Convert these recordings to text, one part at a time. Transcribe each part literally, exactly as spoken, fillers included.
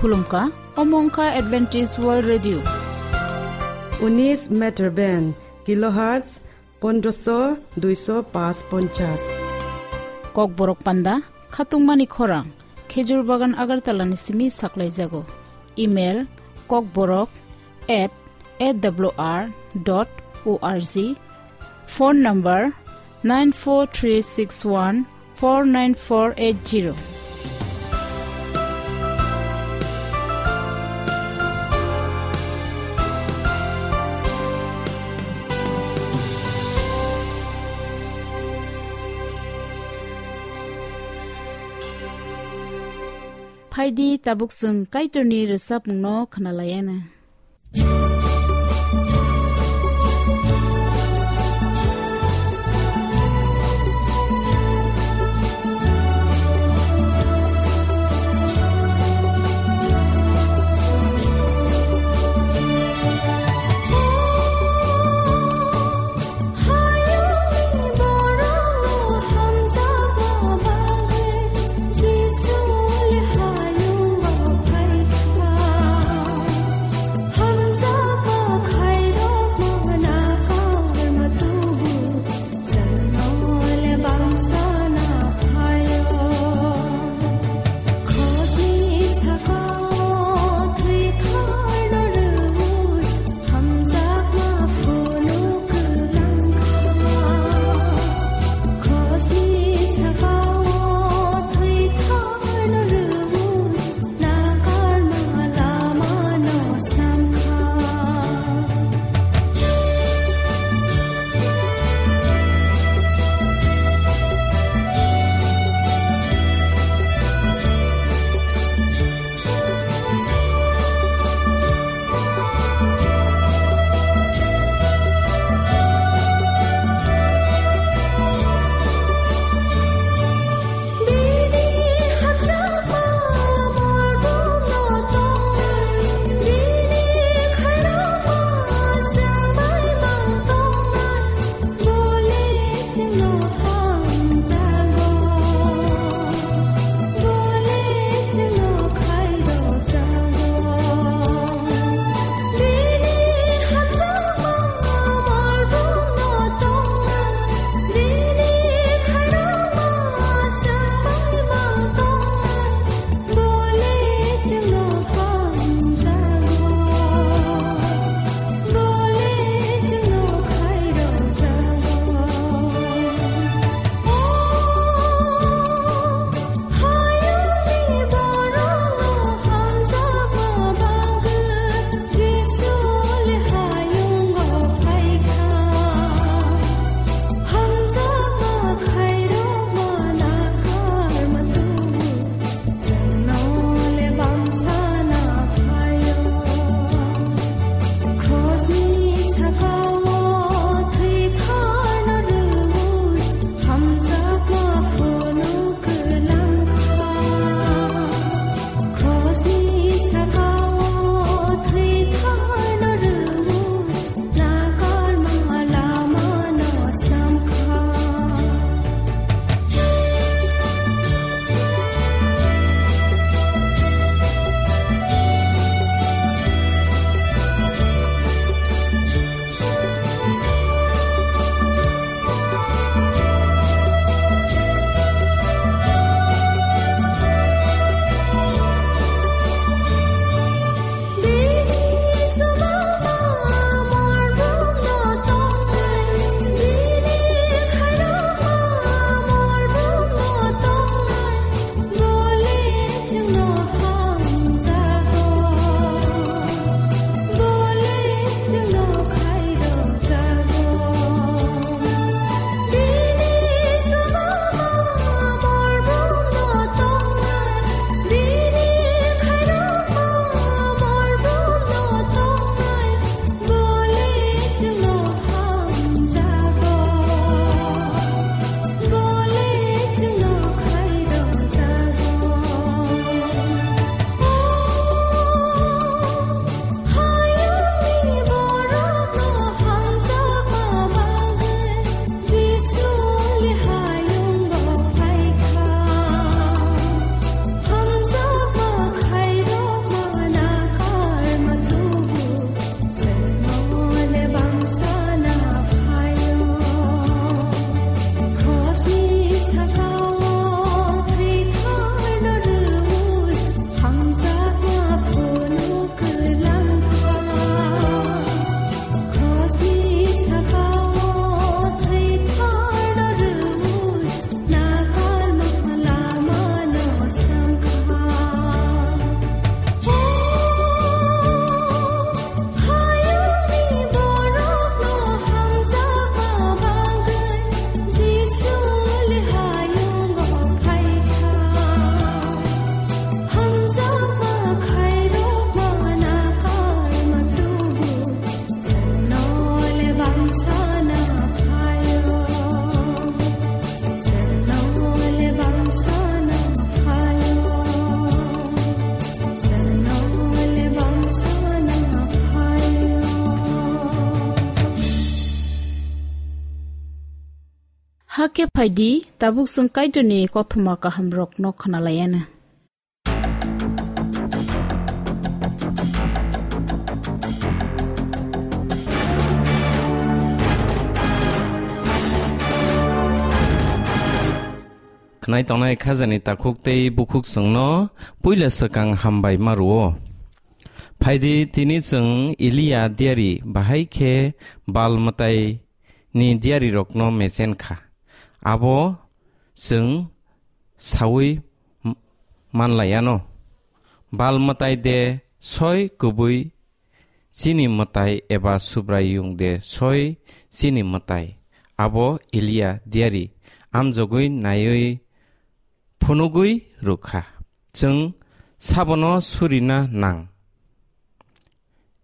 Khulumkha, omo wngkha Adventist World Radio. Unis meter band, kilohertz pondroso duiso pas ponchas. Kokborok panda, khatungmani khorang, Khejur Bagan Agartala ni simi saklaijago. Email, kokborok at A W R dot O R G. Phone number, nine four three six one four nine four eight zero. Phaidi tabuk chwng Kaitorni rwchapmungno khwnalaiana. Hakhe phaidi, tabuk chwng Kaitorni kothoma kahamrokno khwnalaianw. Khwnai tongnai khajani takhuk tei bukhuk chwngno puila swkang hambai ma rwo. Phaidi, tini chwng Eliya diari bahai khe Bal mwtai ni diarirokno mechen kha. Abo chwng saui m-, manlaiano. Bal mwtai de soi kubui chini mwtai eba Subraiyung de soi chini mwtai? Abo Eliya diari amjogwi naiwi phunugwi rwkha. Chwng sabono surina nang,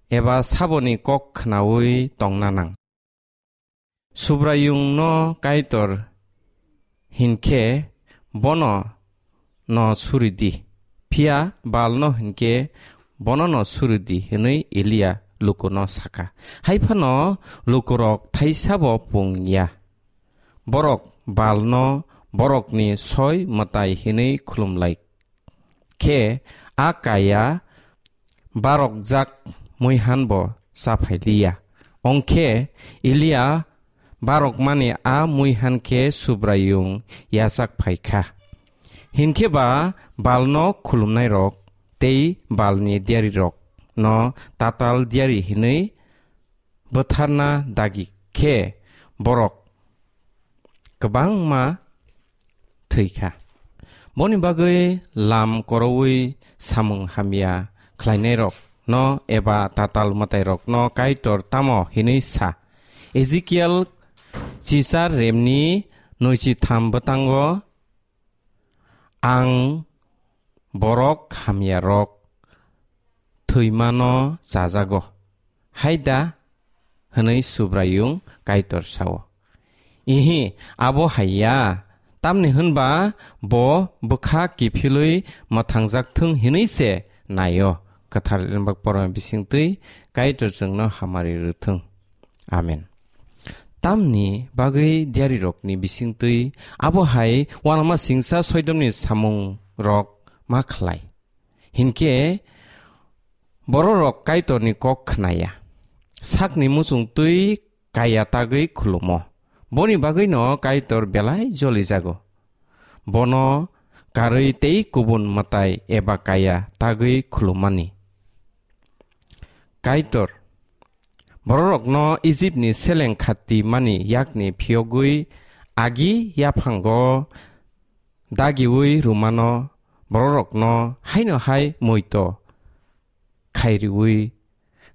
eba saboni kok khnaui tongna nang. Subraiyungno Kaitor hinkhe bono no suri di, phiya Balno hinkhe bono no suri di, hwnwi Eliya lukuno sakha. Hai phano lukurok thaisabo pung ya. Borok Balno borokni soi mwtai hwnwi khulumlai khe a kaya barokjak muihan bo chaphai liya. Ongkhe Eliya barokmani a muihan khe Subraiyung yachak phai kha. Hinkhe ba Balno khulumnairok tei Balni diarirokno tatal diari hwnwi bwtharna dagi khe borok kwbangma thwi kha. Boni bagwi lam koroui samung hamya khlainairokno eba tatal mwtairokno Kaitor tamo hwnwi sa? Ezekiel chichar remni nwichi tham bwtango, "Ang borok hamyarok thwimano chajago, hai da?" hwnwi Subraiyung Kaitor sao. Ihi, abo hai ya, tamni hwnba bo bwkha kiphilwi mwthangjak thung hwnwi se naio. Kwthar Limbak Porma bisingtwi Kaitor chwngno hamari rwthung. Amen. Tamni bagwi diarirokni bisingtwi abo hai uanama singsa soidomni samungrok ma khlai? Hinkhe bororok Kaitorni kok khnaya, sakni muchungtwi kaya tagwi khulumo. Boni bagwino Kaitor belai jolijago. Bono karwi tei kubun mwtai eba kaya tagwi khulummani. Kaitor bororokno Ijipni seleng khati mani yakni phiyogwi agi yaphango dagiui rwmano, bororokno haino hai muito khairiui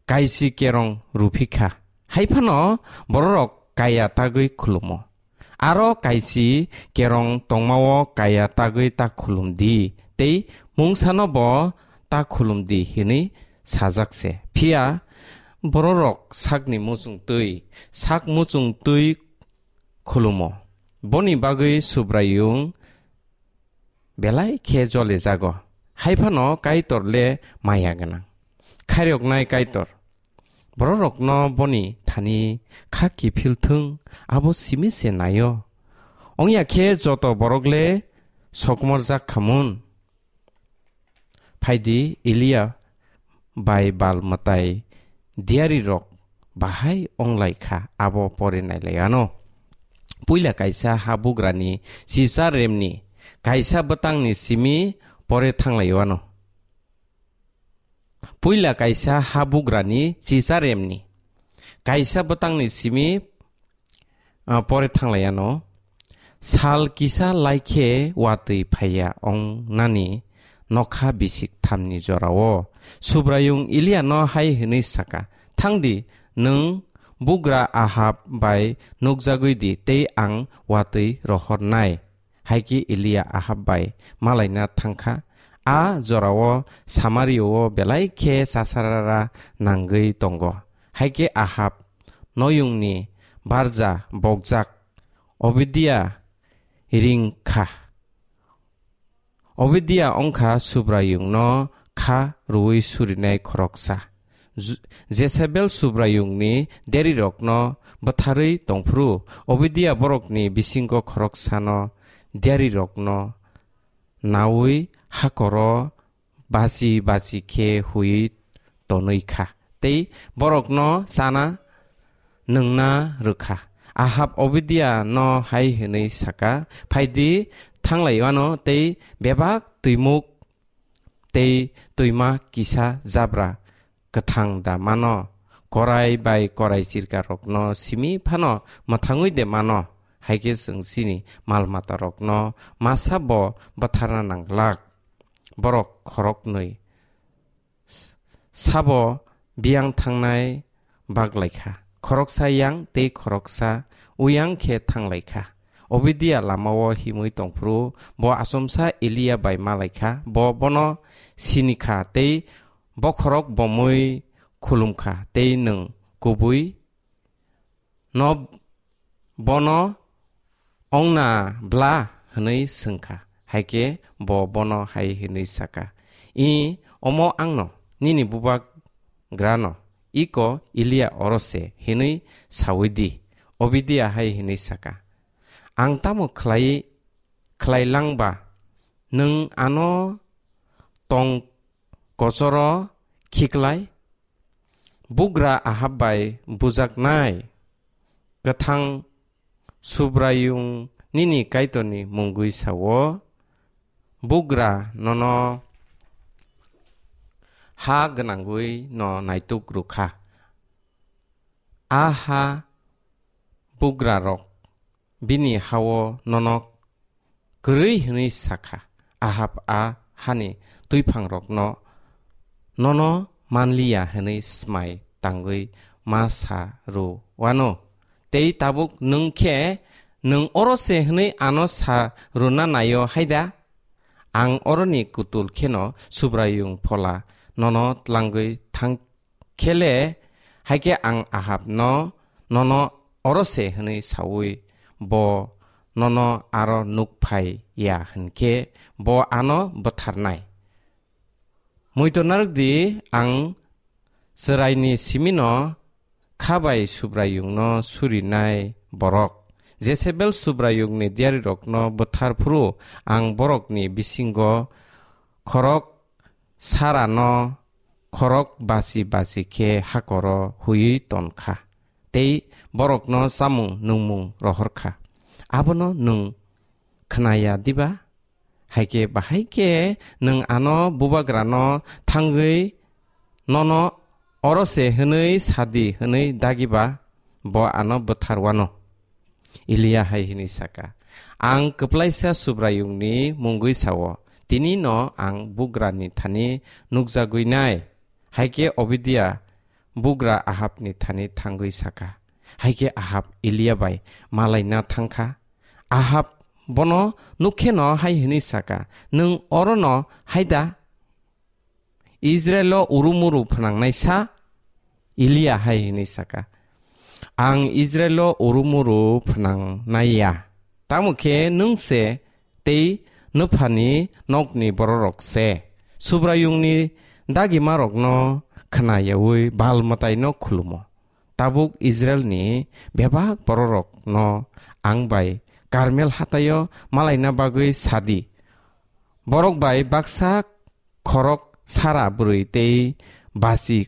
kaisi kerong rwphi kha. Hai phano bororok kaya tagwi khulumo. Aro kaisi kerong tongmao kaya tagwi ta khulum di, tei mungsano bo ta khulum di, hwnwi sajak se. Phiya bororok sakni muchung twi, sak muchung twi khulumo. Boni bagwi Subraiyung belai khe jole jago. Hai phano Kaitor le maya gwnang, khairoknai Kaitor. Bororokno boni thani kha kiphil thung, abo simi se naio. Ongya khe joto borok le sokomorjak khamun. Phaidi, Eliya bai Bal mwtai diarirok bahai onglai kha, abo pore nailai ano. Puila kaisa habugrani chichar remni kaisa bwtangni simi pore thanglai ano. Puila kaisa habugrani chichar remni kaisa bwtangni simi, ah, pore thanglai ano. Sal kisa lai khe watwi phaiya ong nani nokha bisik thamni jorao. Subraiyung Eliyano hai hwnwi saka, "Thang di, nwng bugra Ahab bai nukjagwi di, tei ang watwi rohornai." Hai khe Eliya Ahab bai malaina thang kha. A jorao Samaria-o belai khe chasarara nangwi tongo. Hai khe Ahab noyungni barja bokjak Obidia ring kha. Obidia wng kha Subraiyungno kha rwui surinai khoroksa. Ju-, Jezebel Subraiyungni diarirokno bwtharwi tongphuru, Obidia borokni bisingo khoroksano diarirokno naui hakoro bachi bachi khe huiwi tonwi kha, tei borokno chana nwngna rwkha. Ahab Obidia no hai hwnwi saka, "Phaidi, thanglai wano tei bebak twimuk tei twima kisa jabra kwthang da mano, korai bai korai chirkarokno simi phano mwthangwi de mano, hai khe chwng chini mal matarokno masa bo bwtharna nanglak." Borok khoroknwi s-, sabo biyang thangnai baklaikha, khoroksa yang tei khoroksa uyang khe thanglaikha. Obidia lamao himwi tongphuru bo achomsa Eliya bai malaikha, bo bono sinikha tei bokhorok bomwi khulumkha tei nwng kubui no bono ongna bla hwnwi swngkha. Hai khe bo bono hai hwnwi saka, "I, omo angno, nini bubagrano, iko Eliya oro se," hwnwi saui di. Obidia hai hwnwi saka, "Ang tamo khlai, khlai lang ba? Nwng ano tong kochoro khiklai? Bugra Ahab bai bujaknai kwthang Subraiyung nini Kaitorni mungwi sao, bugra nono ha gwnangwi no naituk rwkha. A ha bugrarok bini hao nono kwrwi hwnwi sakha, Ahab a hani twiphang rokno nono manliya hwnwi smai tangwi ma sa rw wano. Tei tabuk nwng khe nwng oro se hwnwi ano sa rwna naio haida? Ang oroni kutul kheno Subraiyung phola nono tlangwi thang khe le, hai khe ang Ahabno nono oro se hwnwi saui bo nono aro nuk phai ya hwn khe bo ano bwtharnai. Muitor narwk di, ang chwraini simino kha bai Subraiyungno surinai borok. Jezebel Subraiyungni diyarirokno bwthar phuru ang borokni bisingo khorok sarano khorok bachi bachi khe hakoro huiwi ton kha, tei borokno chamung nungmung rohor kha. Abono nwng khna ya diba? Hai khe bahai khe nwng ano bubagrano thangwi nono oro se hwnwi sa di hwnwi dagi ba bo ano bwthar wano. Eliya hai hwnwi saka, "Ang kwplaisa Subraiyungni mungwi sao, tini no ang bugrani thani nukjagwi nai." Hai khe Obidia bugra Ahabni thani thangwi saka. Hai khe Ahab Eliya bai malaina thang kha. Ahab bono nuk kheno hai hwnwi saka, "Nwng orono hai da? Israilo urumuru phnangnaisa?" Eliya hai hwnwi saka, "Ang Israilo urumuru phnangnai ya, tamo khe nwng se tei nwphani nokni bororok se Subraiyungni dagimarokno khna yaui Baal mwtaino khulumo. Tabuk Israilni bebak bororokno ang bai Karmel hataio malaina bagwi sa di. Borok bai baksa khorok sara bwrwi tei bachi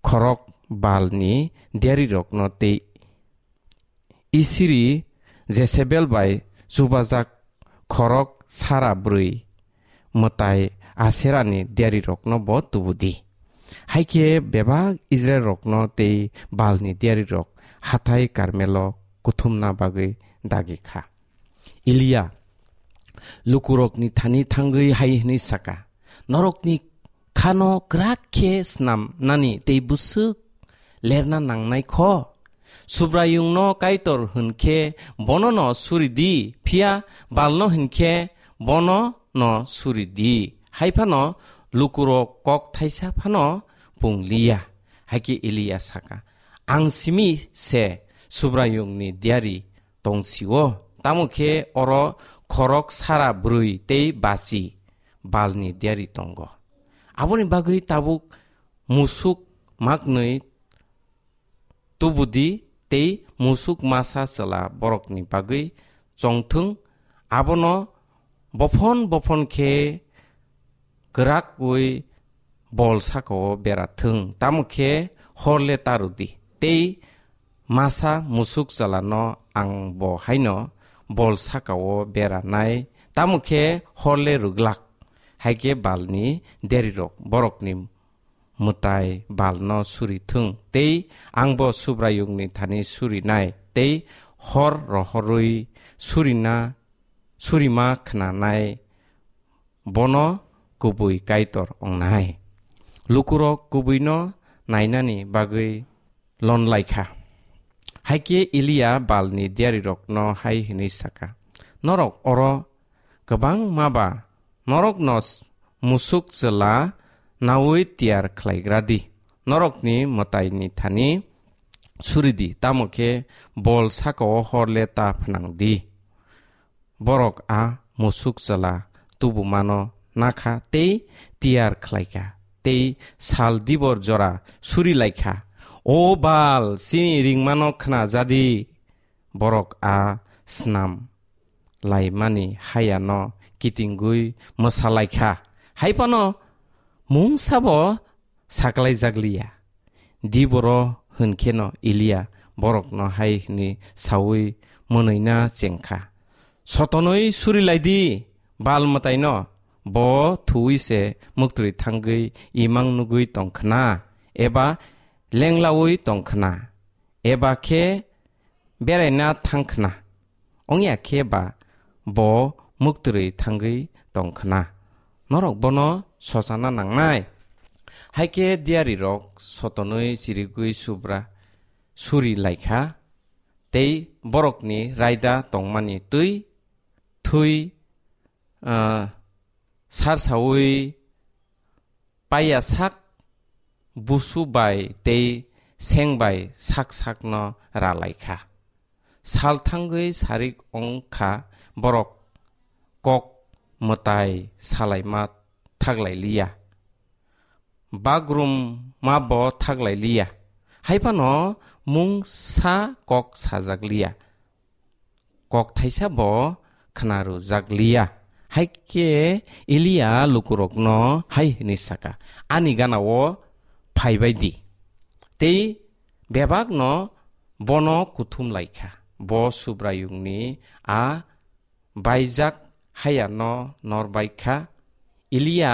khorok Baalni diyarirokno tei Isiri Jezebel bai chubajak khorok sara bwrwi mwtai Aserani diyarirokno bo tubu di." Hai khe bebak Israilrokno tei Baalni diyarirok hathai Karmelo kuthumna bagwi dagi kha. Eliya lukurokni thani thangwi hai hwnwi saka, "Norokni khano kwrak khe snamnani tei bwswk lerna nangnai kho? Subraiyungno Kaitor hwn khe bono no suri di, phiya Balno hwn khe bono no suri di." Hai phano lukurok kok thaisa phano pung liya. Hai khe Eliya saka, "Ang simi se Subraiyungni diyari tong sio, tamo khe oro khorok sara bwrwi tei bachi Balni diyari tongo. Aboni bagwi tabuk musuk maknwi tubudi tei musuk masa chwla borokni bagwi chongthwng, abono bophon bophon khe kwrakwi bol sakao bera thwng, tamo khe hor le ta rw di. Tei masa musuk chwlano ang bo haino bol sakao bera nai, tamo khe hor le rw glak. Hai khe Balni derirok borokni mwtai Balno suri thung, tei angbo Subraiyungni thani surinai, tei hor rohorwi surina, surima khnanai bono kubui Kaitor wngnai. Lukurok kubuino nainani bagwi lonlaikha. Hai khe Eliya Balni diarirokno hai hwnwi saka, "Norok oro kwbangma ba norokno s-, musuk chwla naui tiyar khlaigra di. Norokni mwtaini thani suri di, tamo khe bol sakao hor le ta phnang di. Borok a musuk chwla tubumano nakha tei tiyar khlaikha, tei sal dibor jora suri laikha. O Bal, chini ringmano khna ja di!" Borok a snam laimani hayano kitingwi mwsa laikha. Hai phano mungsabo saklaijak liya. Diboro hwn kheno Eliya borokno hai hwnwi saui mwnwina chengkha, "Sotonwi suri lai di Bal mwtaino, bo thuwi se muktri thangwi imang nugwi tong khna, eba lenglaui tong khna, eba khe beraina thang khna. Ongya khe ba bo muktri thangwi tong khna. Norok bono sochana nangnai." Hai khe diarirok sotonwi chirigwi subra suri laikha, tei borokni raida tongmani twi thui, ah, sarsaui paiya sak busu bai tei seng bai sak sakno ra laikha. Sal thangwi sarik wng kha borok kok mwtai salaima thaglai liya. Bagrum ma bo thaglai liya. Hai phano mungsa kok sajak liya. Kok thaisa bo khna rwjak liya. Hai khe Eliya lukurokno hai hwnwi saka, "Ani gana-o phai bai di." Tei bebakno bono kuthum lai kha. Bo Subraiyungni a baijak hayano nor bai kha. Eliya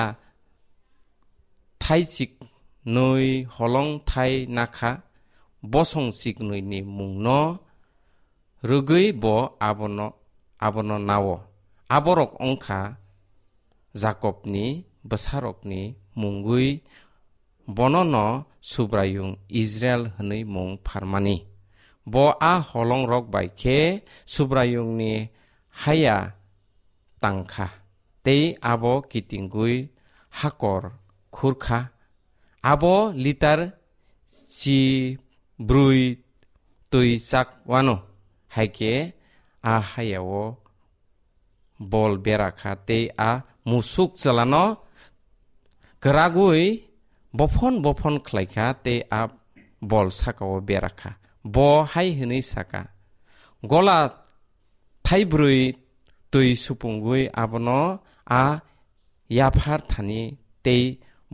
thaichik nwi holong thai nakha, bosong chiknwini mungno rwgwi bo abono, abono nao. Aborok wng kha Jakobni bwsarokni mungwi, bonono Subraiyung Israil hwnwi mung pharmani. Bo a holongrok bai khe Subraiyungni haya tang kha, tei abo kitingwi hakor khur kha. Abo litar chi brwi twi chak wano, hai khe a hayao bol bera kha tei a musuk chwlano kwragwi bophon bophon khlai kha tei a bol sakao bera kha. Bo hai hwnwi sa kha, "Gola thaibrwi twi supungwi abono a yaphar thani tei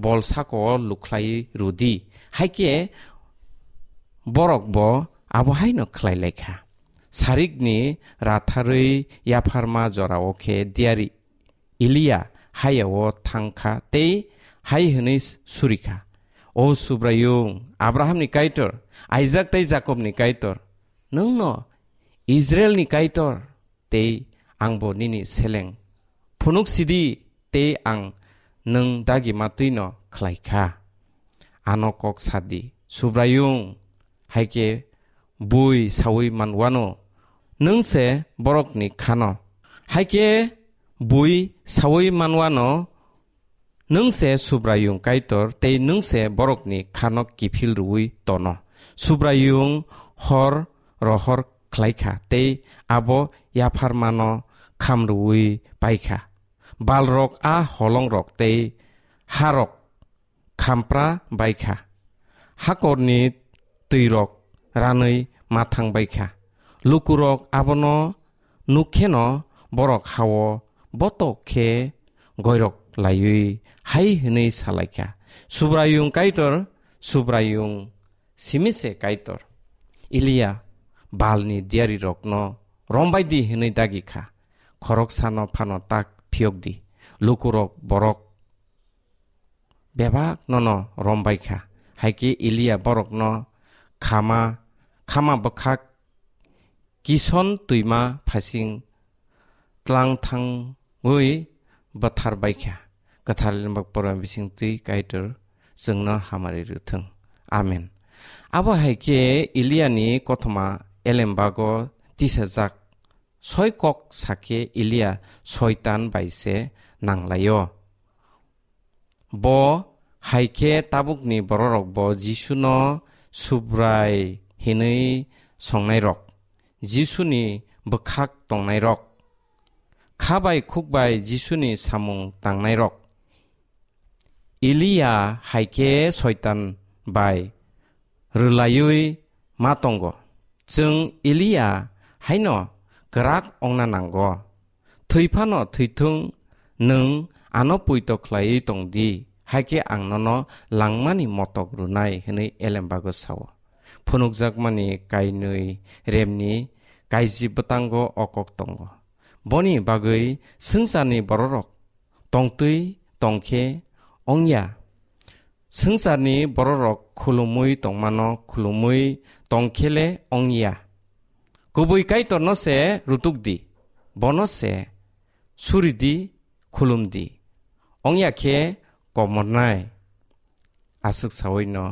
bol sakao lukhlai rw di." Hai khe borok bo abo haino khlai lai kha. Sarikni ratharwi yapharma jorao khe diari Eliya hayao thang kha tei hai hwnwi suri kha, "O Subraiyung, Abrahamni Kaitor, Aisak tei Jakobni Kaitor, nwngno Israilni Kaitor, tei angbo nini seleng. Phunuk sidi, tei ang nwng dagima twino khlai kha. Ano kok sa di, Subraiyung, hai khe bui saui man wano, nwng se borokni khano. Hai khe bui saui man wano, nwng se Subraiyung Kaitor, tei nwng se borokni khano kiphil rwui tono. Subraiyung hor rohor khlai kha, tei abo yapharmano kham rwui pai kha. Balrok a holongrok tei harok khampra bai kha. hakorni twirok ranwi ma thang bai kha. Lukurok abono nuk kheno borok ha-o botok khe goirok laiwi hai hwnwi sa lai kha, "Subraiyung Kaitor, Subraiyung simi se Kaitor, Eliya Balni diyarirokno rombai di hwnwi dagi kha. Khoroksano phano tak phiyok di." Lukurok borok bebak nono rombai kha. Hai khe Eliya borokno khama, khama bwkhak Kison twima phasing tlang thangwi bwthar bai kha. Kwthar Limbak Pora bising twi Kaitor chwngno hamari rwthwng. Amen. Abo hai khe Eliani kothoma elembago tisajak. Soi kok sakhe Elia soitan bai se nanglaio. Bo hai khe tabukni bororokbo Jisuno Subrai hinwi songnairok, Jisuni bwkhak tongnairok, kha bai khuk bai Jisuni samung tangnairok. Eliya hai khe soitan bai rwlaiwi ma tongo. Chwng Eliya haino kwrak ongna nango. "Thwi phano thwithwng, nwng ano poito khlaiwi tong di, hai khe ang nono langmani motok rwnai," hwnwi elembago sao. Phunukjakmani kainwi remni kaiji bwtango o kok tongo. Boni bagwi swngcharni bororok tongtwi tong khe ongya. Swngcharni bororok khulumwi tongmano khulumwi tong khe le ongya. Kubui Kaitorno se rutuk di, bono se suri di, khulum di. Ongya khe komornai. Aswk sawi no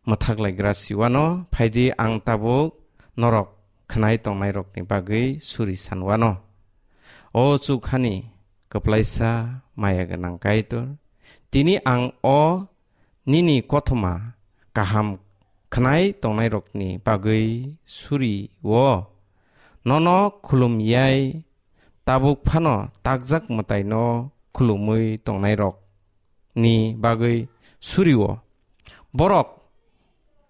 mwthak laikra siwano, phaidi ang tabuk norok khwnai tongnairokni bagwi suri sanwano. O chukhani kwplaisa maya gwnang Kaitor, tini ang o nini kothoma kaham khwnai tongnairokni bagwi suri o. Nono khulum yai tabuk phano takjak mwtaino khulumwi tongnairok ni bagwi suri o. Borok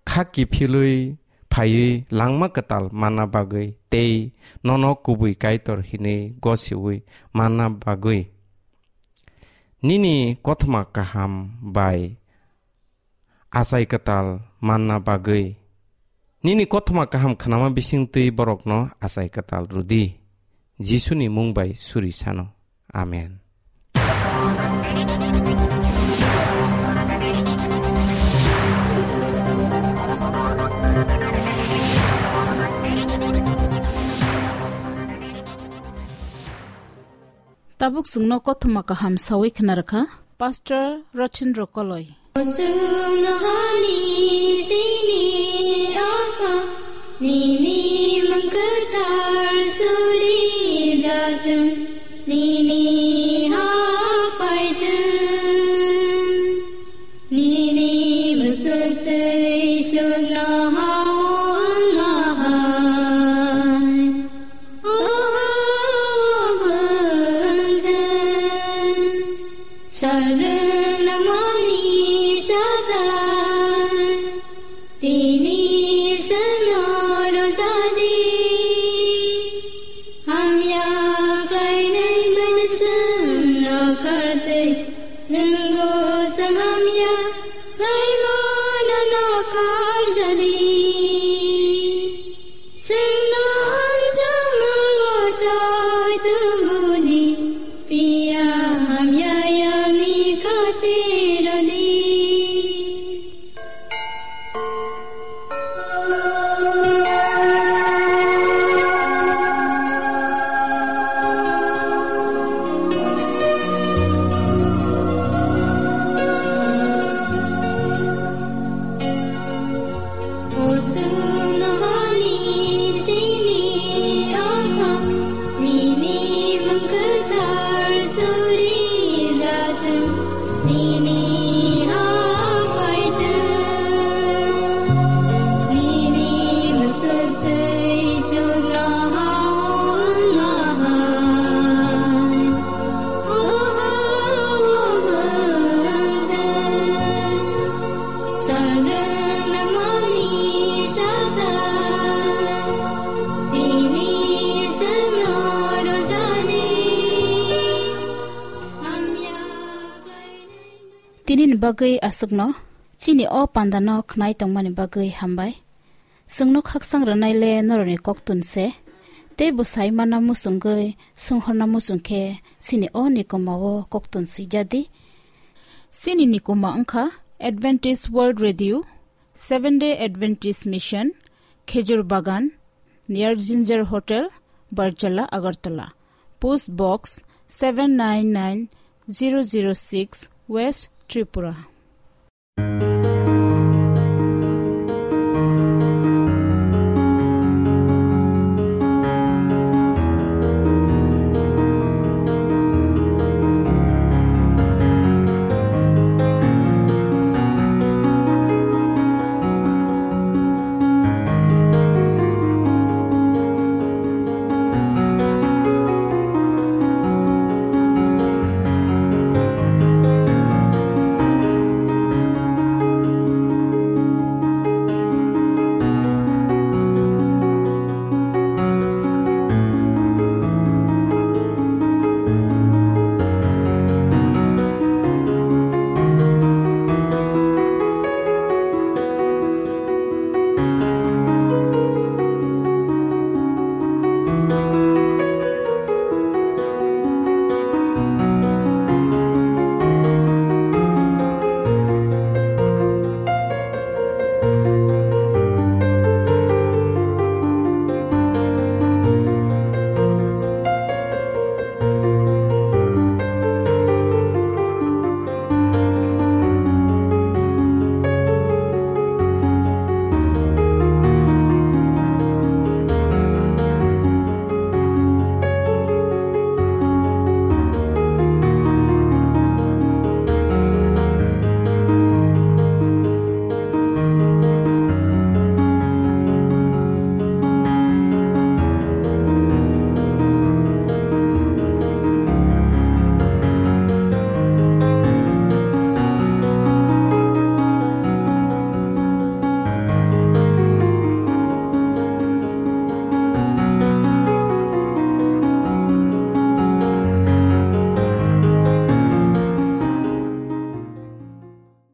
kha kiphilwi phaiwi langma kwtal manna bagwi tei nono kubui Kaitor hinwi gosiwi manna bagwi nini kothoma kaham bai achai kwtal manna bagwi. Nini kothoma kaham khnama bisingtwi borokno achai kwtal rwdi. Jisuni mung bai suri sano. Amen. Tabuk chwngno kothoma kaham sawi khna rwkha Pastor Rothin Rokoloi. Chwng nohani chini Apha, nini mung kwthar suri jathwng, nini ha phaithwng, nini bwswk twi sukno ha wng ma hai. Sarunamani sadai, tini seno rojadi, hamya klainai menseno kartei, nunggo sang hamya klaimano no karjadi. Tinini bagwi aswkno, chini o pandano khnai tongmani bagwi hambai. Chwngno khaksang rwnai le norokni koktun se, tei bwsai mana muchungwi swnghorna muchung khe chini o nikoma o koktun swijadi. Chini nikoma wngkha Adventist World Radio, Seven Day Adventist Mission, Khejur Bagan, near Ginger Hotel, Barjala, Agartala. Post Box seven nine nine zero zero six, West Tripura.